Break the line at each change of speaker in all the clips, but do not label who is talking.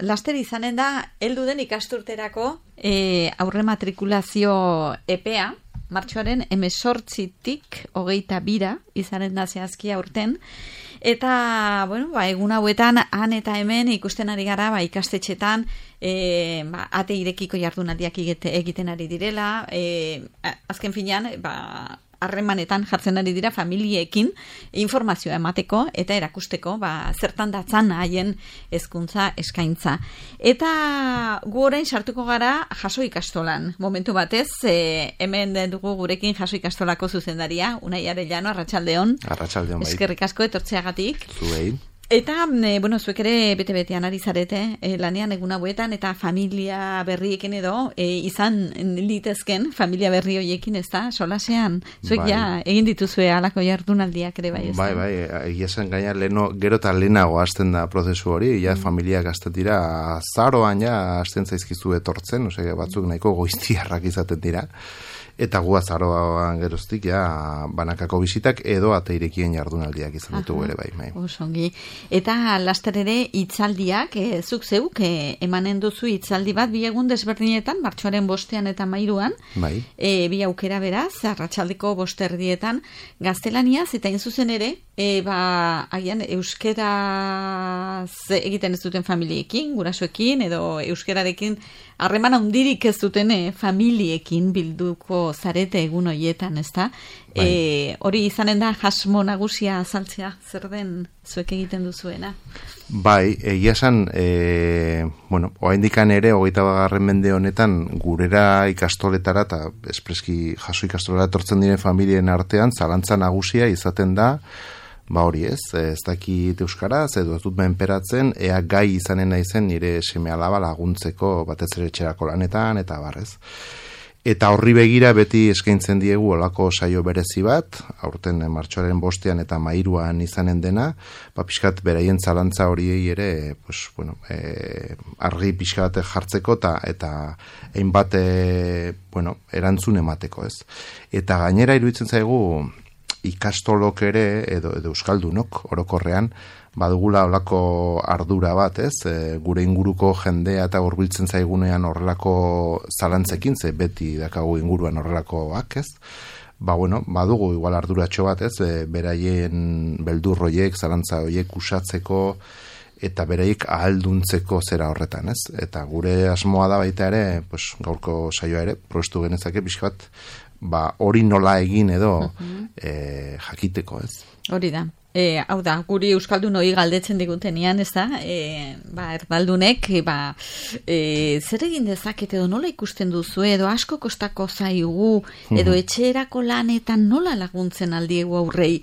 Laster izanen da, heldu den ikasturterako aurre matrikulazio epea, martxoaren 18-tik 22 izanen da zehazki aurten, eta, bueno, egun hauetan, han eta hemen ikusten ari gara, ikastetxetan, ate irekiko jardunaldiak egiten ari direla, azken finean, harremanetan jartzen ari dira familiekin informazioa emateko eta erakusteko zertan datzan haien hezkuntza eskaintza. Eta gu orain sartuko gara jaso ikastolan. Momentu batez, hemen dugu gurekin jaso ikastolako zuzendaria, Unai Arellano, arratsaldeon.
Arratsaldeon bai.
Eskerrik asko etortzeagatik.
Zuei.
Eta, zuek ere bete-betean ari zarete, lanean egun hauetan, eta familia berriekin edo, izan litezken familia berri horiekin, ez da, solasean. Zuek egin dituzue alako jardunaldiak ere bai, ez da?
Bai, egia zen gaina gero eta lehenago hasten da prozesu hori, familiak hasten dira, zaroan hasten zaizkizu etortzen, batzuk nahiko goiztiarrak izaten dira. Eta gu azaroan geroztik banakako bizitak edo ateirekien jardunaldiak izan ditugu ere bai.
Osongi. Eta laster ere hitzaldiak, zuk zeuk emanen duzu hitzaldi bat bi egun desberdinetan, martxoaren 5 eta 13.
Bai.
Bi aukera beraz, arratsaldeko 5 gaztelaniaz, eta zuzen ere, agian euskeraz egiten ez duten familiekin, gurasoekin, edo euskerarekin harreman handirik ez duten familiekin bilduko zarete egun horietan, ez da? Hori izanen da jasmo nagusia azaltzea, zer den zuek egiten duzuena?
Bai, egia esan, oraindikan ere, 21. mende honetan, gurera ikastoletara, eta espreski jaso ikastoletara etortzen diren familien artean, zalantza nagusia izaten da, hori ez dakit euskaraz, edo ez dut menperatzen, ea gai izanen naizen nire seme-alaba laguntzeko batez ere etxerako lanetan, eta barrez. Eta horri begira beti eskaintzen diegu olako saio berezi bat, aurten martxoaren 5 eta 13 izanen dena, pixkat beraien zalantza horiei ere, argi pixkat jartzeko eta hainbat erantzun emateko, ez. Eta gainera iruditzen zaigu, ikastolok ere, edo euskaldunok, orokorrean, badugula olako ardura bat, ez? Gure inguruko jendea eta hurbiltzen zaigunean horrelako zalantzekin, ze beti dakagu inguruan horrelakoak, ez? Badugu igual arduratxo bat, ez? Beraien beldurroiek, zalantza horiek usatzeko, eta beraiek ahalduntzeko zera horretan, ez? Eta gure asmoa da baita ere, gaurko saioa ere, probestu genezake, pixka bat, hori nola egin edo jakiteko, ez?
Hori da. Hau da, guri euskaldun hori galdetzen digutenean, ez da? Erdaldunek, zer egin dezakete edo nola ikusten duzu, edo asko kostako zaigu, edo etxerako lanetan nola laguntzen aldiegu aurrei?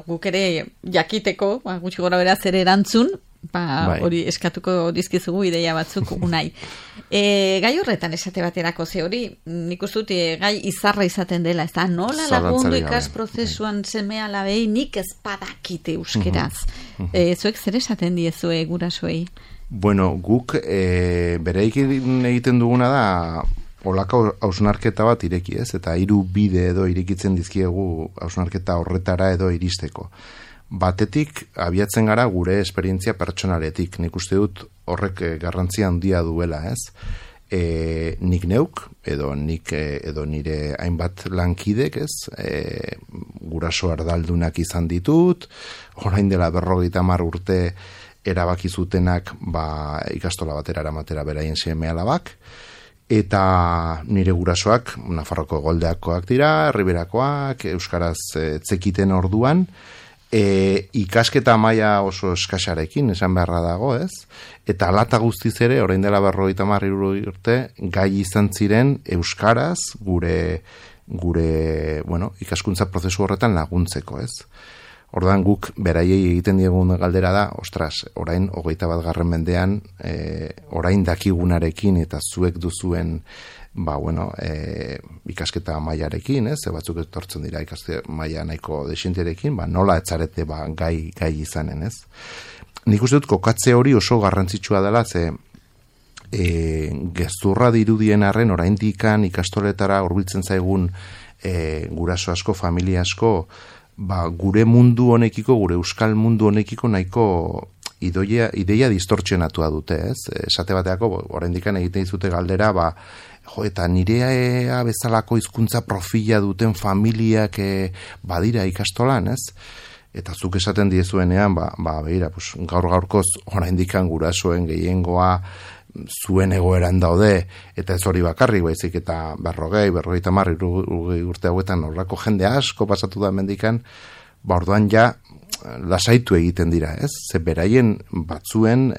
Guk ere jakiteko, gutxi gora bera zer erantzun, hori eskatuko dizkizugu ideia batzuk Unai. Gai horretan esate baterako ze hori, nik uste dut gai izarra izaten dela, ez da, nola lagundu ikas prozesuan seme-alabei nik ez badakite euskeraz. Zuek zer esaten diezue gurasoei?
Guk bereikin egiten duguna da olako hausnarketa bat ireki, ez? Eta 3 bide edo irekitzen dizkiegu hausnarketa horretara edo iristeko. Batetik, abiatzen gara gure esperientzia pertsonaletik. Nik uste dut horrek garrantzia handia duela, ez? Nik neuk, edo nire hainbat lankidek, ez? Guraso ardaldunak izan ditut, orain dela 50 urte erabaki zutenak ikastola batera eramatera beraien seme-alabak, eta nire gurasoak, Nafarroko Goldeakoak dira, Riberakoak, euskaraz zekiten orduan, ikasketa maila oso eskasarekin, esan beharra dago, ez? Eta alata guztiz ere, orain dela 50 urte, gai izan ziren euskaraz gure ikaskuntza prozesu horretan laguntzeko, ez? Ordan guk beraiei egiten diegun galdera da, orain 21. mendean, orain dakigunarekin eta zuek duzuen ikasketa mailarekin, ez? Batzuk etortzen dira ikasketa maila nahiko desienterekin, nola etzarete gai izanen, ez? Nik uste dut kokatze hori oso garrantzitsua dela, ze gezurra dirudien arren oraindikan ikastoletara hurbiltzen zaigun guraso asko, familia asko, gure mundu honekiko, gure euskal mundu honekiko nahiko ideia distortzionatua dute, ez? Esate bateako, oraindikan egiten dizute galdera, eta nirea bezalako hizkuntza profila duten familiak badira ikastolan, ez? Eta zuk esaten diezuenean, begira, gaur-gaurkoz oraindikan gurasoen gehiengoa zuen egoeran daude, eta ez hori bakarrik, baizik eta 50 urte hauetan horrako jende asko pasatu da mendikan, orduan ja lasaitu egiten dira, ez? Ze beraien batzuen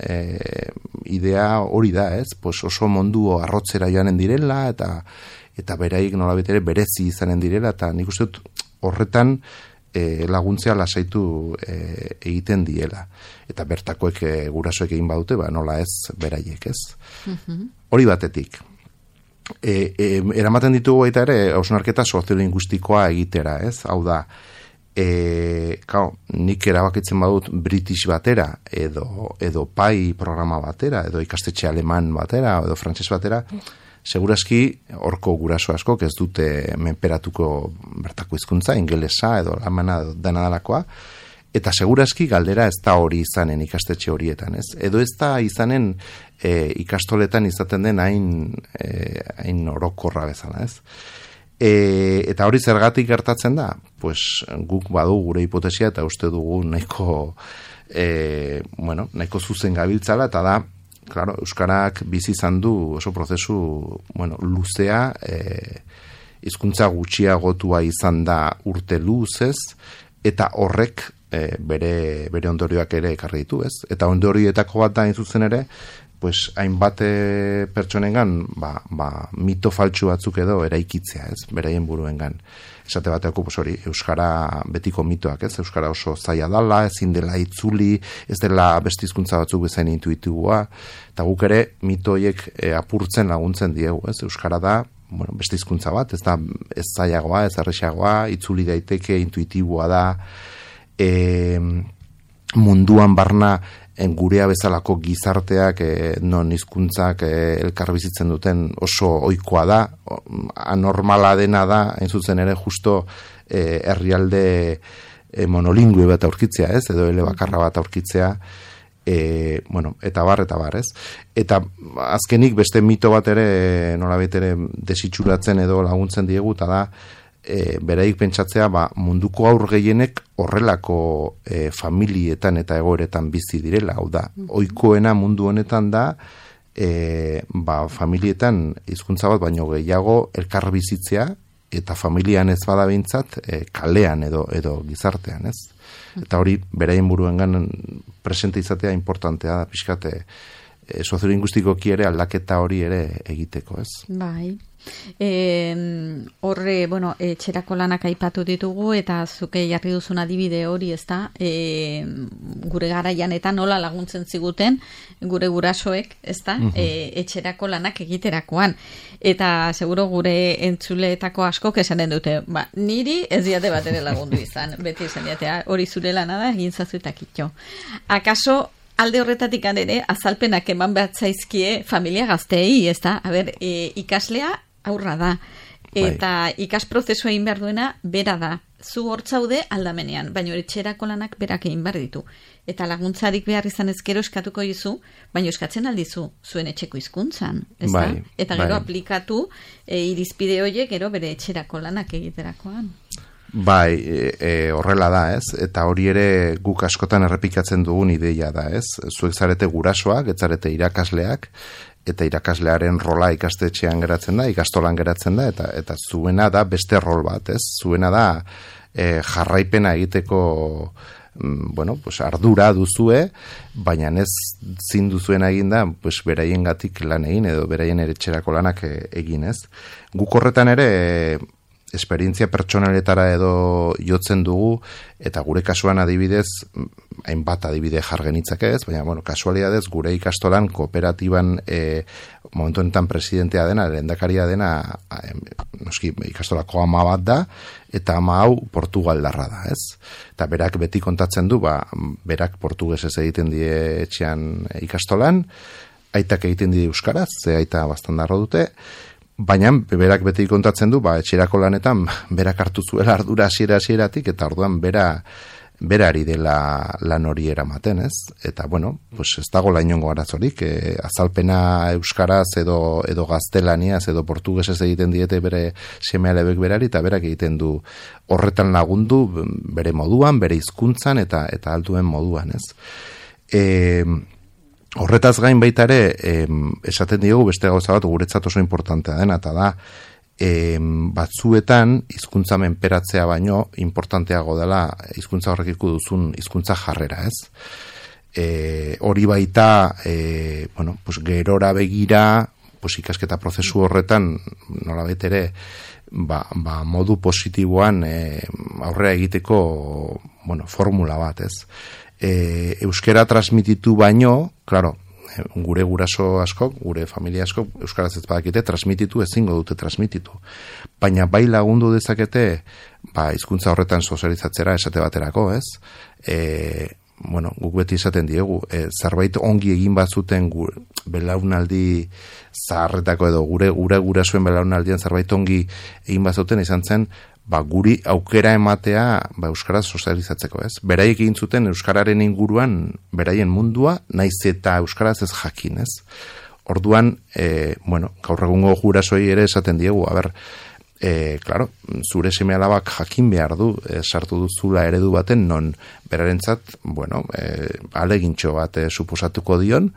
idea hori da, ez? Oso mundu arrotzera joanen direla, eta beraik nolabait ere berezi izanen direla, eta nik uste dut horretan laguntzea lasaitu egiten diela. Eta bertakoek gurasoek egin badute, nola ez beraiek, ez? Hori batetik. Eramaten ditugu baita ere, hausnarketa soziolinguistikoa egitera, ez? Hau da, nik erabakitzen badut British batera, edo PAI programa batera, edo ikastetxe aleman batera, edo frantses batera, segurazki horko guraso askok ez dute menperatuko bertako hizkuntza, ingelesa edo alemana dena dalakoa, eta segurazki galdera ez da hori izanen ikastetxe horietan, ez? Edo ez da izanen ikastoletan izaten den hain orokorra bezala, ez? Eta hori zergatik gertatzen da? Guk badu gure hipotesia eta uste dugu nahiko zuzen gabiltzala, eta da, claro, euskarak bizi izan du oso prozesu, luzea, hizkuntza gutxiagotua izan da urte luzez, eta horrek bere ondorioak ere ekarri ditu, ez? Eta ondorioetako bat da zuzen ere, hainbat pertsonengan mito faltsu batzuk edo eraikitzea, ez? Beraien buruengan. Esate bateako, hori, euskara betiko mitoak, ez? Euskara oso zaila dala, ezin dela itzuli, ez dela beste hizkuntza batzuk bezain intuitibua, eta guk ere mitoiek apurtzen laguntzen diegu, ez? Euskara da, beste hizkuntza bat, ez da ez zailagoa, ez errexagoa, itzuli daiteke, intuitibua da, munduan barna gurea bezalako gizarteak non hizkuntzak elkar bizitzen duten oso ohikoa da, anormala dena da, hain zuzen ere justo herrialde monolingüe bat aurkitzea, ez? Edo elebakarra bat aurkitzea, eta bar, ez? Eta azkenik beste mito bat ere nolabait ere desitxuratzen edo laguntzen diegu, eta da beraik pentsatzea munduko aur gehienek horrelako familietan eta egoeretan bizi direla, hau da, ohikoena mundu honetan da familietan hizkuntza bat baino gehiago elkar bizitzea, eta familian ez bada behintzat kalean edo gizartean, ez? Eta hori beraien buruengan presente izatea importantea da, pixkate soziolinguistikoki ere aldaketa hori ere egiteko, ez?
Bai. Horre, etxerako lanak aipatu ditugu, eta zuke jarri duzun adibide hori, ez da, gure garaian eta nola laguntzen ziguten gure gurasoek, ez da, etxerako lanak egiterakoan. Eta seguro gure entzuleetako askok esanen dute, niri ez diate bat ere lagundu izan, beti esan diatea, hori zure lana da, egin zazu eta kitxo. Akaso, alde horretatik ere, azalpenak eman behar zaizkie familia gazteei, ez da? Ikaslea aurra da. Eta ikas prozesua egin behar duena, bera da. Zu hortzaude aldamenean, baina etxerako lanak berak egin behar ditu. Eta laguntzarik behar izan ezkero eskatuko dizu, baina eskatzen aldizu zuen etxeko hizkuntzan, ez da? Eta gero aplikatu irizpide horiek gero bere etxerako lanak egiterakoan.
Horrela da, ez? Eta hori ere guk askotan errepikatzen dugun ideia da, ez? Zuek zarete gurasoak, ez zarete irakasleak, eta irakaslearen rola ikastetxean geratzen da, ikastolan geratzen da, eta zuena da beste rol bat, ez? Zuena da jarraipena egiteko ardura duzue, baina ez zin duzuena egin da, beraien gatik lan egin, edo beraien etxerako lanak egin, ez? Guk horretan ere esperientzia pertsonaletara edo jotzen dugu, eta gure kasuan adibidez, hainbat adibide jargenitzak ez, baina, kasualidadez, gure ikastolan kooperatiban momentu honetan presidentea dena, lehendakaria dena, noski, ikastolako ama bat da, eta ama hau portugaldarra da, ez? Eta berak beti kontatzen du, berak portugesez egiten die etxean ikastolan, aitak egiten die euskaraz, ze aita bastandarro dute, baina berak beti kontatzen du, etxerako lanetan berak hartu zuela ardura hasieratik, eta orduan bera berari dela lan hori eramaten, ez? Eta, bueno, pues ez dago inongo arazorik, azalpena euskaraz edo gaztelaniaz edo portugesez egiten diete bere seme-alabek berari, eta berak egiten du horretan lagundu bere moduan, bere hizkuntzan eta alduen moduan, ez? Horretaz gain baita ere, esaten diogu beste gauza bat guretzat oso importantea dena, eta da, batzuetan hizkuntza menperatzea baino importanteago dela hizkuntza horrekiko duzun hizkuntza jarrera, ez? Hori baita, bueno, pues gerora begira, pues ikasketa prozesu horretan nolabait ere, modu positiboan aurrera egiteko, bueno, formula bat, ez? Euskera transmititu baino, claro, gure guraso askok, gure familia askok, euskaraz ez badakite, transmititu ezingo dute transmititu. Baina bai lagundu dezakete, hizkuntza horretan sozializatzera esate baterako, ez? Bueno, guk beti esaten diegu, zerbait ongi egin bazuten belaunaldi zaharretako edo gure gurasoen belaunaldian zerbait ongi egin bazuten izan zen, guri aukera ematea euskaraz sozializatzeko, ez? Beraiek egin zuten euskararen inguruan beraien mundua, naiz eta euskaraz ez jakin, ez? Orduan, bueno, gaur egungo gurasoei ere esaten diegu, claro, zure seme-alabak jakin behar du, sartu duzula eredu baten, non berarentzat, bueno, alegintxo bat suposatuko dion,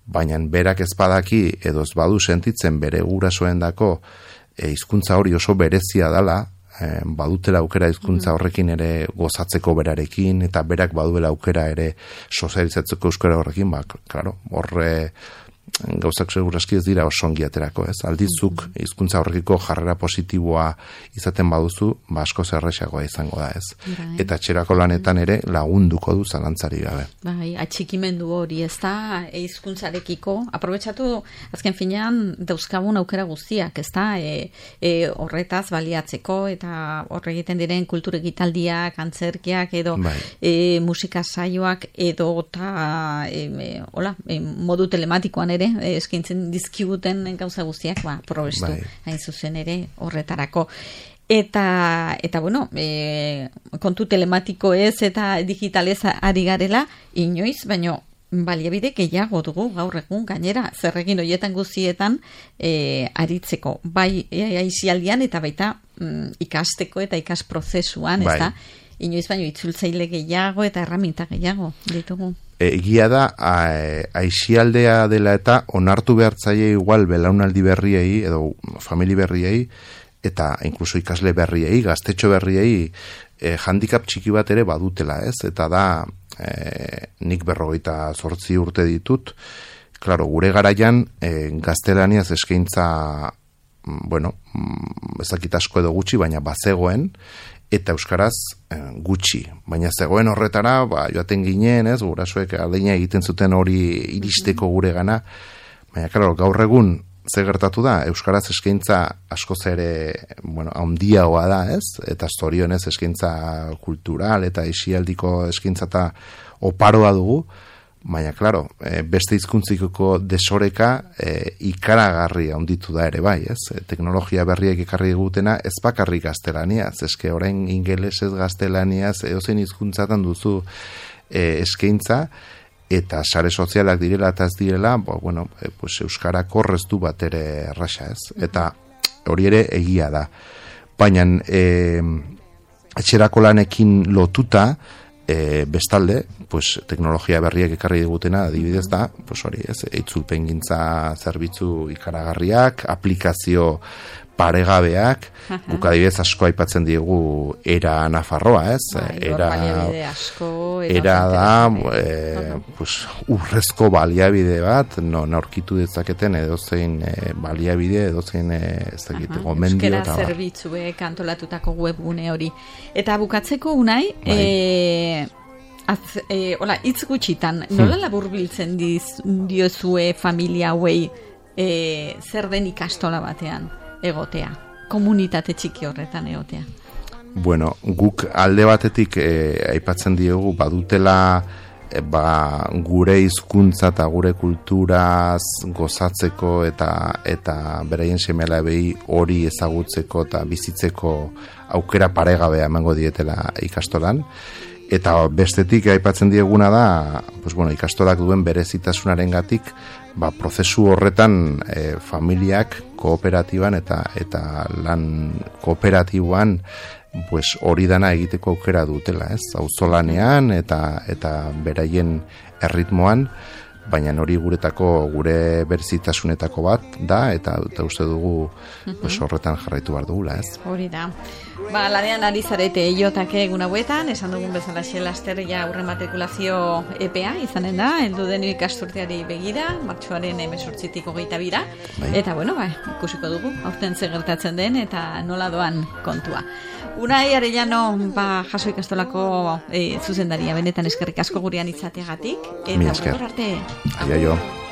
baina berak ez badaki edo ez badu sentitzen bere gurasoendako hizkuntza hori oso berezia dela, badutela aukera hizkuntza horrekin ere gozatzeko berarekin, eta berak baduela aukera ere sozializatzeko euskara horrekin, claro, horre gauzak segurazki ez dira oso ongi aterako, ez? Aldizuk hizkuntza horrekiko jarrera positiboa izaten baduzu, asko zerrexagoa izango da, ez? Eta etxerako lanetan ere lagunduko du zalantzari gabe.
Bai, atxikimendu hori, ez da, hizkuntzarekiko, aprobetxatu azken finean dauzkagun aukera guztiak, ez da, horretaz baliatzeko, eta horre egiten diren kultur ekitaldiak, antzerkiak, edo musika saioak, edo modu telematikoan ere, eskaintzen dizkiguten gauza guztiak, probestu, hain zuzen ere horretarako. Eta bueno, kontu telematiko ez eta digitalez ari garela, inoiz, baino baliabide gehiago dugu gaur egun gainera, zerrekin horietan guztietan aritzeko, bai aisialdian eta baita ikasteko eta ikasprozesuan, ez da? Inoiz baino itzultzaile gehiago eta erraminta gehiago ditugu.
Egia da, aisialdea dela eta onartu behartzaile igual belaunaldi berriei edo famili berriei eta inkluso ikasle berriei, gaztetxo berriei handicap txiki bat ere badutela, ez? Eta da, nik 48 urte ditut, claro, gure garaian gaztelaniaz eskaintza, bueno, ezakit asko edo gutxi, baina bazegoen, eta euskaraz gutxi. Baina zegoen horretara, joaten ginen, ez, gurasoek aleina egiten zuten hori iristeko gure gana. Baina, claro, gaur egun ze gertatu da, euskaraz eskaintza askoz ere, bueno, handiagoa da, ez? Eta zorionez eskaintza kultural eta isialdiko eskaintza eta oparoa dugu. Baina, claro, beste hizkuntziko desoreka ikaragarri handitu da ere bai, ez? Teknologia berriek ekarri digutena ez bakarrik gaztelaniaz, eske orain ingelesez gaztelaniaz edozein hizkuntzatan duzu eskaintza, eta sare sozialak direla eta ez direla, bueno, pues euskara korreztu bat ere erraxa, ez? Eta hori ere egia da. Baina etxerako lanekin lotuta, bestalde, pues, teknologia berriak ekarri digutena adibidez da, pues hori, ez, itzulpengintza zerbitzu ikaragarriak, aplikazio paregabeak, guk adibidez asko aipatzen diegu era Nafarroa, ez? Era da, pues, urrezko baliabide bat, aurkitu dezaketen edozein baliabide, edozein ez dakit, gomendio.
Euskera zerbitzuek antolatutako webgune hori. Eta bukatzeko Unai, hitz gutxitan, nola laburbiltzen diozue familia hauei zer den ikastola batean egotea, komunitate txiki horretan egotea?
Bueno, guk alde batetik aipatzen diogu badutela gure hizkuntza eta gure kulturaz gozatzeko eta beraien seme-alabei hori ezagutzeko eta bizitzeko aukera paregabea emango dietela ikastolan. Eta bestetik aipatzen dieguna da, pues bueno, ikastolak duen berezitasunarengatik, prozesu horretan familiak kooperatiban eta lan kooperatiboan pues hori dana egiteko aukera dutela, ez? Auzolanean eta beraien erritmoan, baina hori gure berezitasunetako bat da, eta uste dugu pues horretan jarraitu behar dugula, ez?
Hori da. Lanean ari zarete eiotake egun hauetan, esan dugun bezala laster ja aurre matrikulazio EPEA izanen da, heldu den ikasturteari begira, martxoaren 18-tik 22, eta bueno, ikusiko dugu, aurten ze gertatzen den eta nola doan kontua. Unai Arellano, jaso ikastolako zuzendaria, benetan eskerrik asko gurean izateagatik, eta
arte. Aio.